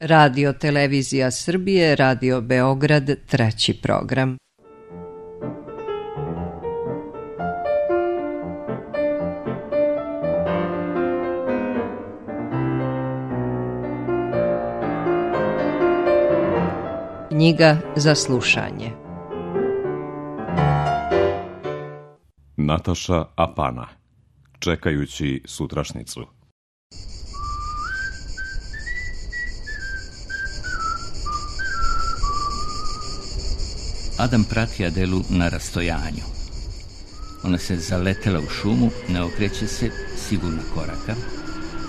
Radio Televizija Srbije, Radio Beograd, 3. program. Knjiga za slušanje. Nataša Apana. Čekajući sutrašnicu. Adam prati Adelu na rastojanju. Ona se zaletela u šumu, ne okreće se, sigurna koraka,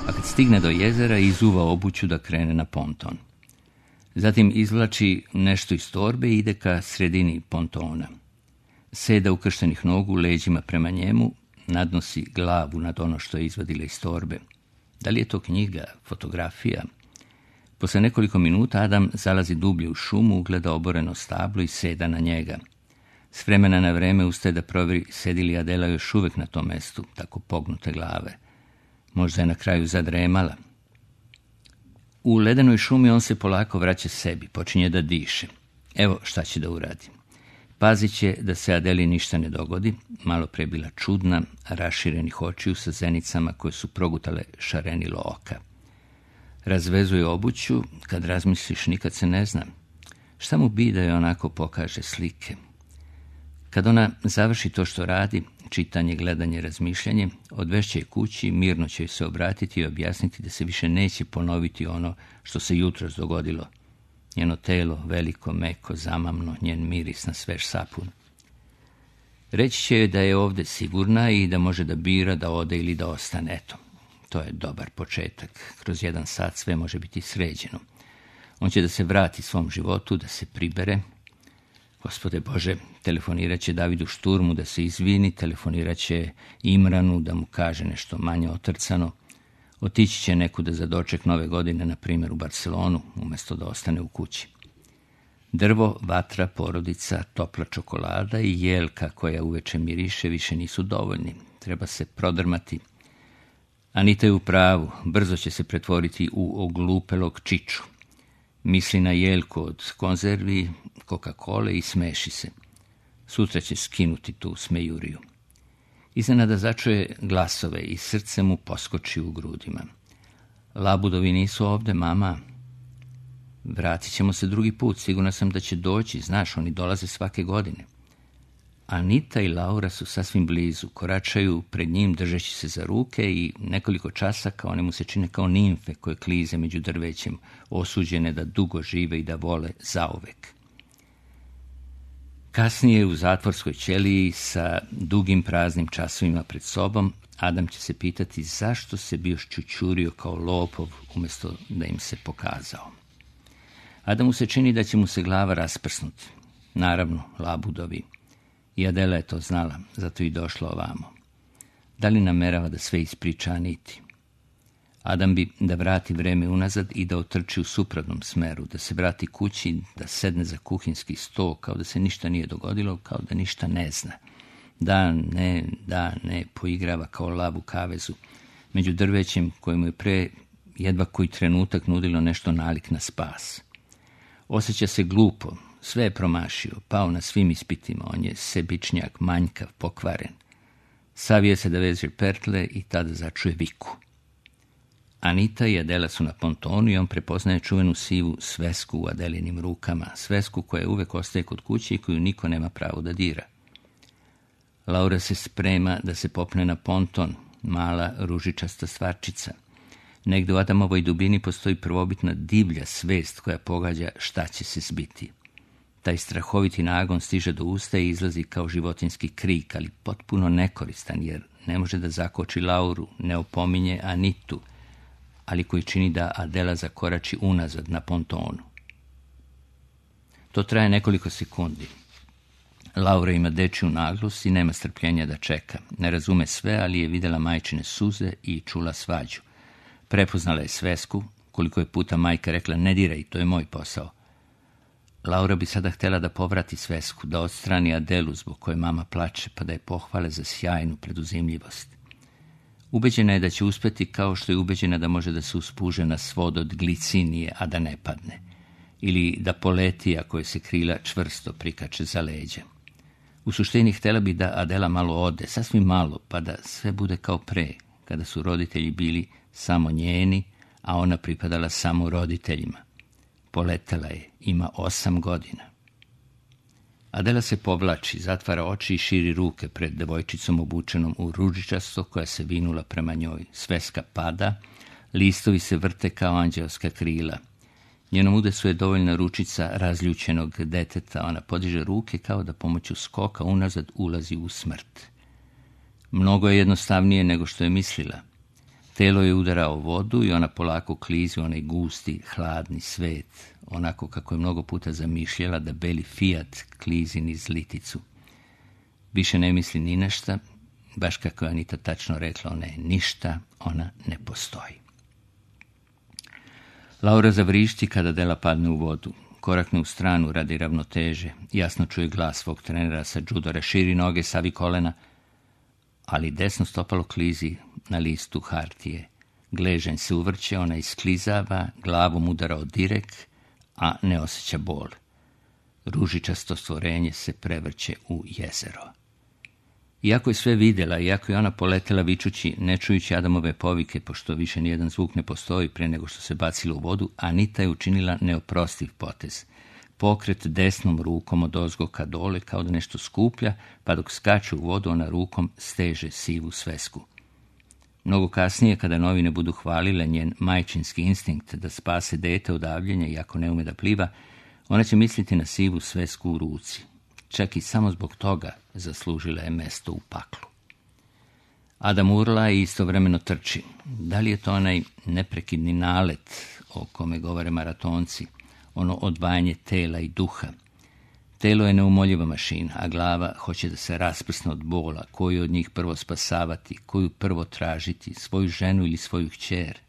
a kad stigne do jezera izuva obuću da krene na ponton. Zatim izvlači nešto iz torbe i ide ka sredini pontona. Seda ukrštenih nogu leđima prema njemu, nadnosi glavu nad ono što je izvadila iz torbe. Da li je to knjiga, fotografija? Posle nekoliko minuta Adam zalazi dublje u šumu, ugleda oboreno stablo i seda na njega. S vremena na vreme ustaje da provjeri sedi li Adela još uvek na tom mestu, tako pognute glave. Možda je na kraju zadremala. U ledenoj šumi on se polako vraća sebi, počinje da diše. Evo šta će da uradi. Pazit će da se Adeli ništa ne dogodi, malo pre bila čudna, raširenih očiju sa zenicama koje su progutale šarenilo oka. Razvezuje obuću, kad razmisliš nikad se ne zna. Šta mu bi da je onako pokaže slike? Kad ona završi to što radi, čitanje, gledanje, razmišljanje, odvešće je kući, mirno će joj se obratiti i objasniti da se više neće ponoviti ono što se jutros dogodilo. Njeno telo, veliko, meko, zamamno, njen miris na svež sapun. Reći će joj da je ovde sigurna i da može da bira da ode ili da ostane. Eto, to je dobar početak. Kroz 1 sat sve može biti sređeno. On će da se vrati svom životu, da se pribere. Gospode Bože, telefonirat će Davidu Šturmu da se izvini, telefonirat će Imranu da mu kaže nešto manje otrcano. Otići će nekuda za doček nove godine, na primjer u Barcelonu, umjesto da ostane u kući. Drvo, vatra, porodica, topla čokolada i jelka koja uveče miriše više nisu dovoljni. Treba se prodrmati. Anita je u pravu, brzo će se pretvoriti u oglupelog čiču. Misli na jelku od konzervi, Coca-Cola i smeši se. Sutra će skinuti tu smejuriju. Iznenada začuje glasove i srce mu poskoči u grudima. Labudovi nisu ovde, mama. Vratit ćemo se drugi put, sigurna sam da će doći, znaš, oni dolaze svake godine. Anita i Laura su sasvim blizu, koračaju pred njim držeći se za ruke i nekoliko časaka one mu se čine kao nimfe koje klize među drvećem, osuđene da dugo žive i da vole zauvek. Kasnije u zatvorskoj ćeliji sa dugim praznim časovima pred sobom, Adam će se pitati zašto se bio šćućurio kao lopov umjesto da im se pokazao. Adamu se čini da će mu se glava rasprsnuti. Naravno, labudovi. I Adela je to znala, zato i došla ovamo. Da li namerava da sve ispriča Aniti? Adam bi da vrati vreme unazad i da otrči u suprotnom smeru, da se vrati kući, da sedne za kuhinski sto, kao da se ništa nije dogodilo, kao da ništa ne zna. Da, ne, poigrava kao lav u kavezu, među drvećem kojemu je pre jedva koji trenutak nudilo nešto nalik na spas. Osjeća se glupo, sve je promašio, pao na svim ispitima, on je sebičnjak, manjkav, pokvaren. Savije se da veže pertle i tada začuje viku. Anita i Adela su na pontonu i on prepoznaje čuvenu sivu svesku u Adelinim rukama, svesku koja uvek ostaje kod kuće i koju niko nema pravo da dira. Laura se sprema da se popne na ponton, mala ružičasta stvarčica. Negde u Adamovoj dubini postoji prvobitna divlja svest koja pogađa šta će se zbiti. Taj strahoviti nagon stiže do usta i izlazi kao životinjski krik, ali potpuno nekoristan, jer ne može da zakoči Lauru, ne opominje Anitu, ali koji čini da Adela zakorači unazad na pontonu. To traje nekoliko sekundi. Laura ima dečiju naglost i nema strpljenja da čeka. Ne razume sve, ali je videla majčine suze i čula svađu. Prepoznala je svesku, koliko je puta majka rekla ne diraj, to je moj posao. Laura bi sada htjela da povrati svesku, da odstrani Adelu zbog koje mama plače, pa da je pohvale za sjajnu preduzimljivost. Ubeđena je da će uspjeti, kao što je ubeđena da može da se uspuže na svod od glicinije, a da ne padne. Ili da poleti, ako je se krila čvrsto prikače za leđa. U suštini htjela bi da Adela malo ode, sasvim malo, pa da sve bude kao pre, kada su roditelji bili samo njeni, a ona pripadala samo roditeljima. Poletela je, ima 8 godina. Adela se povlači, zatvara oči i širi ruke pred devojčicom obučenom u ružičasto koja se vinula prema njoj. Sveska pada, listovi se vrte kao anđelska krila. Njenom udesu je dovoljna ručica razljučenog deteta. Ona podiže ruke kao da pomoću skoka unazad ulazi u smrt. Mnogo je jednostavnije nego što je mislila. Telo je udarao vodu i ona polako klizi u onaj gusti, hladni svet, onako kako je mnogo puta zamišljala da beli Fiat klizi niz liticu. Više ne misli ni na šta, baš kako je Anita tačno rekla, ona je ništa, ona ne postoji. Laura zavrišti kada Adela padne u vodu. Korakne u stranu radi ravnoteže. Jasno čuje glas svog trenera sa džudora. Širi noge, savi kolena, ali desno stopalo klizi na listu hartije. Gležanj se uvrće, ona isklizava, glavom udara od direk, a ne osjeća bol. Ružičasto stvorenje se prevrće u jezero. Iako je sve vidjela, iako je ona poletela vičući, ne čujući Adamove povike, pošto više nijedan zvuk ne postoji pre nego što se bacila u vodu, Anita je učinila neoprostiv potez. Pokret desnom rukom od ozgo ka dole, kao da nešto skuplja, pa dok skače u vodu, ona rukom steže sivu svesku. Mnogo kasnije, kada novine budu hvalile njen majčinski instinkt da spase dete od davljenja, iako ne ume da pliva, ona će misliti na sivu svesku u ruci. Čak i samo zbog toga zaslužila je mesto u paklu. Adam urla i istovremeno trči. Da li je to onaj neprekidni nalet o kome govore maratonci, ono odvajanje tela i duha? Telo je neumoljiva mašina, a glava hoće da se rasprsne od bola, koju od njih prvo spasavati, koju prvo tražiti, svoju ženu ili svoju kćer.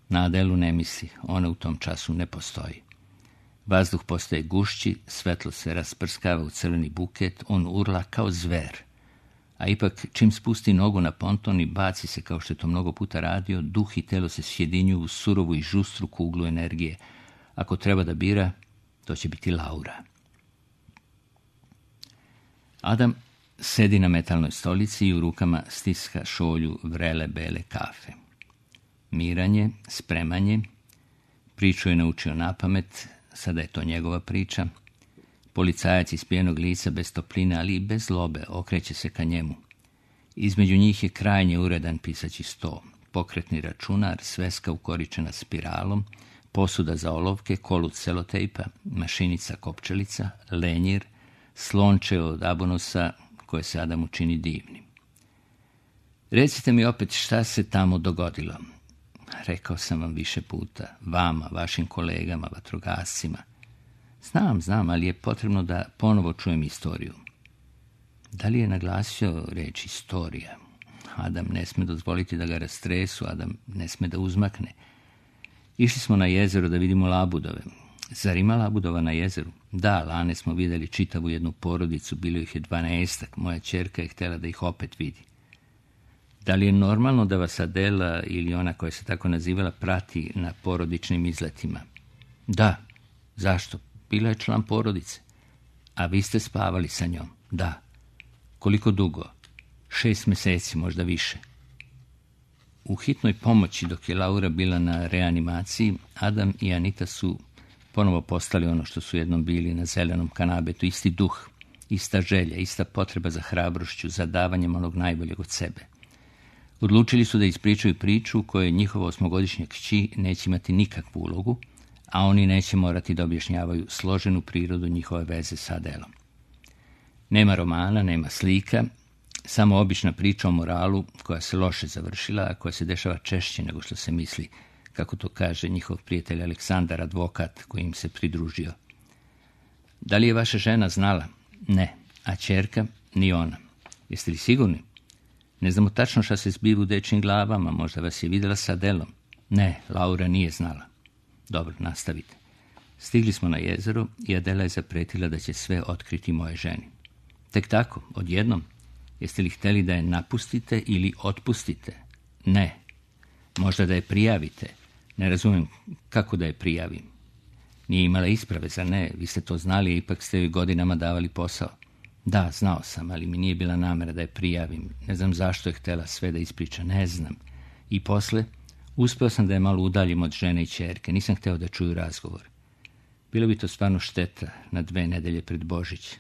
Na Adelu ne misli, ona u tom času ne postoji. Vazduh postaje gušći, svetlo se rasprskava u crveni buket, on urla kao zver. A ipak, čim spusti nogu na ponton i baci se, kao što je to mnogo puta radio, duh i telo se sjedinjuju u surovu i žustru kuglu energije. Ako treba da bira, to će biti Laura. Adam sedi na metalnoj stolici i u rukama stiska šolju vrele bele kafe. Miranje, spremanje, priču je naučio napamet, sada je to njegova priča. Policajac iz pijenog lica bez topline, ali i bez zlobe, okreće se ka njemu. Između njih je krajnje uredan pisaći sto, pokretni računar, sveska ukoričena spiralom, posuda za olovke, kolut selotejpa, mašinica kopčelica, lenjir, slonče od abonusa koje se Adamu čini divnim. Recite mi opet šta se tamo dogodilo. Rekao sam vam više puta, vama, vašim kolegama, vatrogascima. Znam, ali je potrebno da ponovo čujem istoriju. Da li je naglasio reč istorija? Adam ne sme dozvoliti da ga rastresu, Adam ne sme da uzmakne. Išli smo na jezero da vidimo labudove. Zar ima labudova na jezeru? Da, lane smo vidjeli čitavu jednu porodicu, bilo ih je 12, moja ćerka je htjela da ih opet vidi. Da li je normalno da vas Adela ili ona koja se tako nazivala prati na porodičnim izletima? Da. Zašto? Bila je član porodice. A vi ste spavali sa njom? Da. Koliko dugo? 6 mjeseci, možda više. U hitnoj pomoći, dok je Laura bila na reanimaciji, Adam i Anita su ponovo postali ono što su jednom bili na zelenom kanabetu, isti duh, ista želja, ista potreba za hrabrošću, za davanjem onog najboljeg od sebe. Odlučili su da ispričaju priču u kojoj njihova 8-godišnja kći neće imati nikakvu ulogu, a oni neće morati da objašnjavaju složenu prirodu njihove veze sa Adelom. Nema romana, nema slika, samo obična priča o moralu koja se loše završila, a koja se dešava češće nego što se misli, kako to kaže njihov prijatelj Aleksandar, advokat koji im se pridružio. Da li je vaša žena znala? Ne. A ćerka? Ni ona. Jeste li sigurni? Ne znamo tačno šta se zbiva u dečjim glavama, možda vas je vidjela sa Adelom. Ne, Laura nije znala. Dobro, nastavite. Stigli smo na jezero i Adela je zapretila da će sve otkriti moje ženi. Tek tako, odjednom. Jeste li htjeli da je napustite ili otpustite? Ne. Možda da je prijavite. Ne razumijem kako da je prijavim. Nije imala isprave, zar ne? Vi ste to znali, ipak ste joj godinama davali posao. Da, znao sam, ali mi nije bila namera da je prijavim. Ne znam zašto je htjela sve da ispriča, ne znam. I posle, uspeo sam da je malo udaljim od žene i ćerke. Nisam hteo da čuju razgovor. Bilo bi to stvarno šteta na 2 nedelje pred Božić.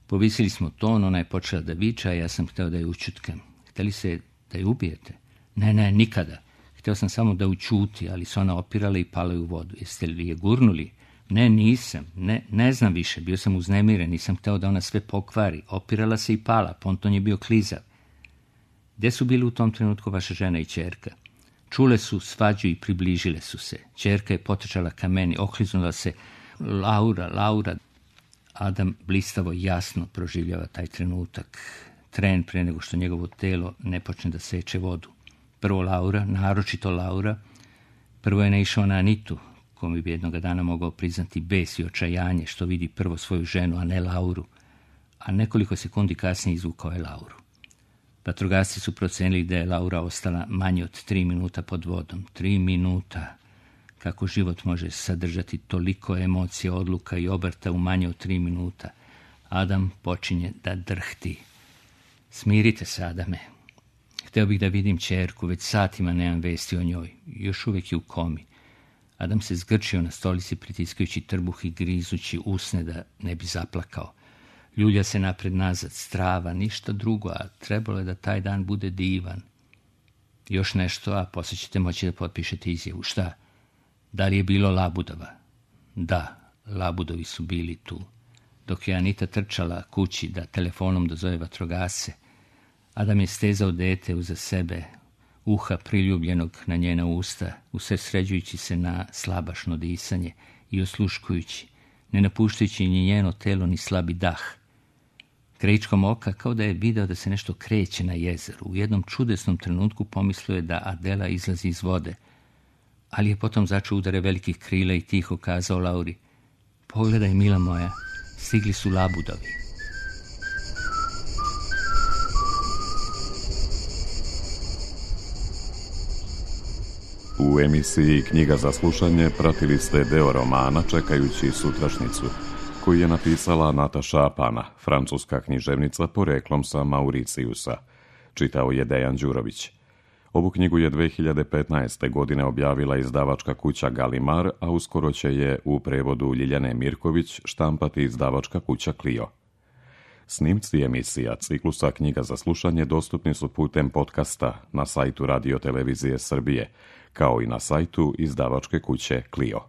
Povisili smo ton, ona je počela da viča, a ja sam hteo da je ućutkam. Hteli se da je ubijete? Ne, nikada. Hteo sam samo da ućuti, ali se ona opirala i pala u vodu. Jeste li je gurnuli? Ne, nisam. Ne znam više. Bio sam uznemiren, nisam hteo da ona sve pokvari. Opirala se i pala, ponton je bio klizav. Gde su bili u tom trenutku vaša žena i ćerka? Čule su svađu i približile su se. Ćerka je potrčala ka meni, okliznula se. Laura. Adam blistavo jasno proživljava taj trenutak. Tren pre nego što njegovo telo ne počne da seče vodu. Prvo Laura, naročito Laura. Prvo je naišao na Anitu, kome bi jednoga dana mogao priznati bes i očajanje što vidi prvo svoju ženu, a ne Lauru. A nekoliko sekundi kasnije izvukao je Lauru. Vatrogasci su procenili da je Laura ostala manje od 3 minuta pod vodom. 3 minuta. Kako život može sadržati toliko emocija, odluka i obrta u manje od 3 minuta? Adam počinje da drhti. Smirite se, Adame. Hteo bih da vidim ćerku, već satima nemam vesti o njoj. Još uvek je u komi. Adam se zgrčio na stolici, pritiskajući trbuh i grizući usne da ne bi zaplakao. Ljulja se napred nazad, strava, ništa drugo, a trebalo je da taj dan bude divan. Još nešto, a posle ćete moći da potpišete izjavu. Šta? Da li je bilo labudova? Da, labudovi su bili tu. Dok je Anita trčala kući da telefonom dozove vatrogasce, Adam je stezao dete uza sebe, uha priljubljenog na njena usta, usredsređujući se na slabašno disanje i osluškujući, ne napuštajući ni njeno telo ni slabi dah. Krajičkom oka, kao da je video da se nešto kreće na jezeru. U jednom čudesnom trenutku pomislio je da Adela izlazi iz vode, ali je potom začuo udare velikih krila i tiho kazao Lauri: pogledaj, mila moja, stigli su labudovi. U emisiji Knjiga za slušanje pratili ste deo romana Čekajući sutrašnicu, koji je napisala Nataša Apana, francuska književnica poreklom sa Mauricijusa. Čitao je Dejan Đurović. Ovu knjigu je 2015. godine objavila izdavačka kuća Galimar, a uskoro će je u prevodu Ljiljane Mirković štampati izdavačka kuća Clio. Snimci emisija ciklusa Knjiga za slušanje dostupni su putem podcasta na sajtu Radio Televizije Srbije, kao i na sajtu izdavačke kuće Clio.